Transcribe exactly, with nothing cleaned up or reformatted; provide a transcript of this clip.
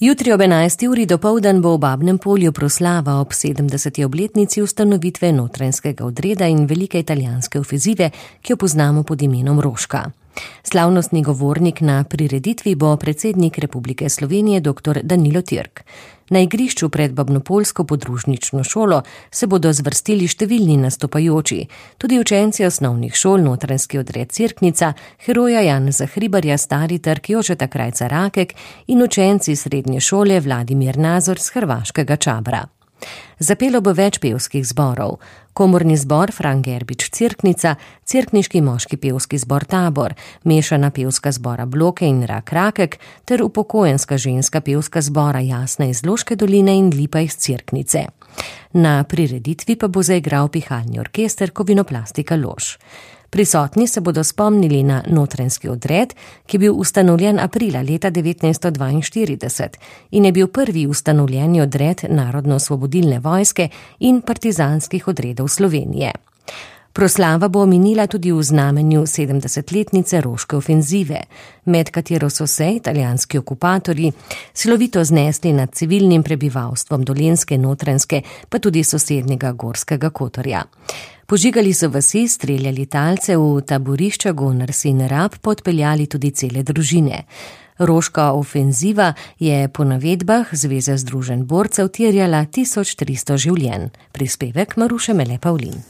Jutri ob enajsti uri dopoldan bo v Babnem Polju proslava ob sedemdeseti obletnici ustanovitve notranjskega odreda in velike italijanske ofenzive, ki jo poznamo pod imenom Roška. Slavnostni govornik na prireditvi bo predsednik Republike Slovenije dr. Danilo Türk. Na igrišču pred babnopoljsko podružnično šolo se bodo zvrstili številni nastopajoči, tudi učenci osnovnih šol Notranjski odred Cerknica, heroja Janeza Hribarja Stari Trg Jožeta Krajca Rakek in učenci srednje šole Vladimir Nazor z hrvaškega Čabra. Zapelo bo več pevskih zborov. Komorni zbor Fran Gerbič Cerknica, cerkniški moški pevski zbor Tabor, mešana pevska zbora Bloke in Rak Rakek ter upokojenska ženska pevska zbora Jasna iz Loške doline in Lipa iz Cerknice. Na prireditvi pa bo zaigral pihalni orkester Kovinoplastika Lož. Prisotni se bodo spomnili na notranjski odred, ki je bil ustanovljen aprila leta devetnajststo dvainštirideset in je bil prvi ustanovljeni odred Narodno-osvobodilne vojske in partizanskih odredov Slovenije. Proslava bo minila tudi v znamenju sedemdesetletnice Roške ofenzive, med katero so se italijanski okupatorji silovito znesli nad civilnim prebivalstvom Dolenjske, Notranjske, pa tudi sosednjega Gorskega Kotorja. Požigali so vasi, streljali talce, v taborišča Gonars in Rab podpeljali tudi cele družine. Roška ofenziva je po navedbah Zveze združenj borcev terjala tisoč tristo življenj. Prispevek Maruše Mele Pavlin.